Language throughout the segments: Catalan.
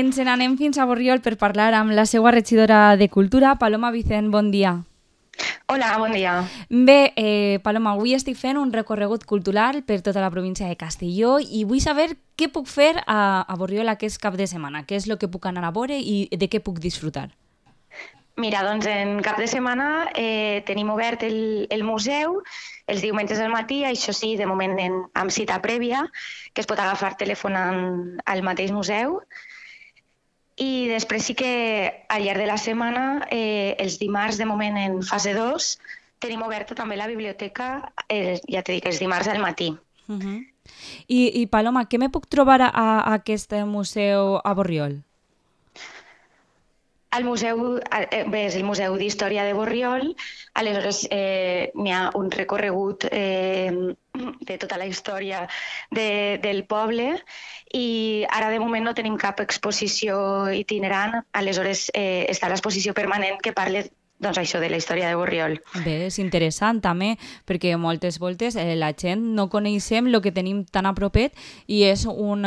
Ens n'anem fins a Borriol per parlar amb la seva regidora de Cultura, Paloma Vicent. Bon dia. Hola, bon dia. Bé, Paloma, avui estic fent un recorregut cultural per tota la província de Castelló i vull saber què puc fer a Borriol aquest cap de setmana, què és el que puc anar a veure i de què puc disfrutar. Mira, doncs en cap de setmana tenim obert el museu els diumenges al matí, això sí, de moment amb cita prèvia, que es pot agafar telefonant al mateix museu. I després sí que al llarg de la setmana, els dimarts de moment en fase 2, tenim oberta també la biblioteca, ja t'he dit, els dimarts al matí. I Paloma, què me puc trobar a aquest museu a Borriol? El museu, bé, és el Museu d'Història de Borriol, aleshores n'hi ha un recorregut de tota la història del poble i ara de moment no tenim cap exposició itinerant, aleshores està l'exposició permanent que parla doncs això, de la història de Borriol. Bé, és interessant també, perquè moltes voltes la gent no coneixem el que tenim tan a propet i és un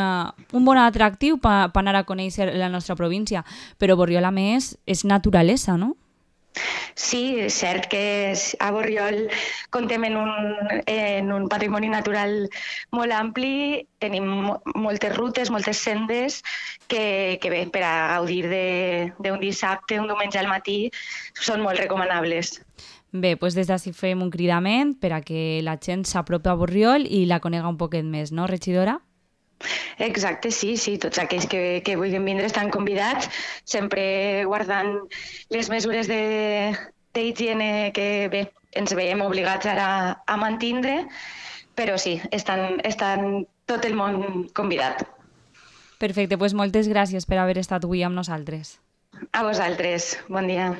bon atractiu per anar a conèixer la nostra província. Però Borriol, a més, és naturalesa, no? Sí, és cert que a Borriol comptem en un patrimoni natural molt ampli, tenim moltes rutes, moltes sendes que bé, per a gaudir d'un dissabte, un diumenge al matí, són molt recomanables. Bé, doncs des d'ací fem un cridament per a que la gent s'apropi a Borriol i la conega un poquet més, no, regidora? Exacte, sí, tots aquells que vulguin vindre estan convidats, sempre guardant les mesures d'higiene que bé, ens veiem obligats ara a mantindre, però sí, estan tot el món convidat. Perfecte, doncs moltes gràcies per haver estat avui amb nosaltres. A vosaltres, bon dia.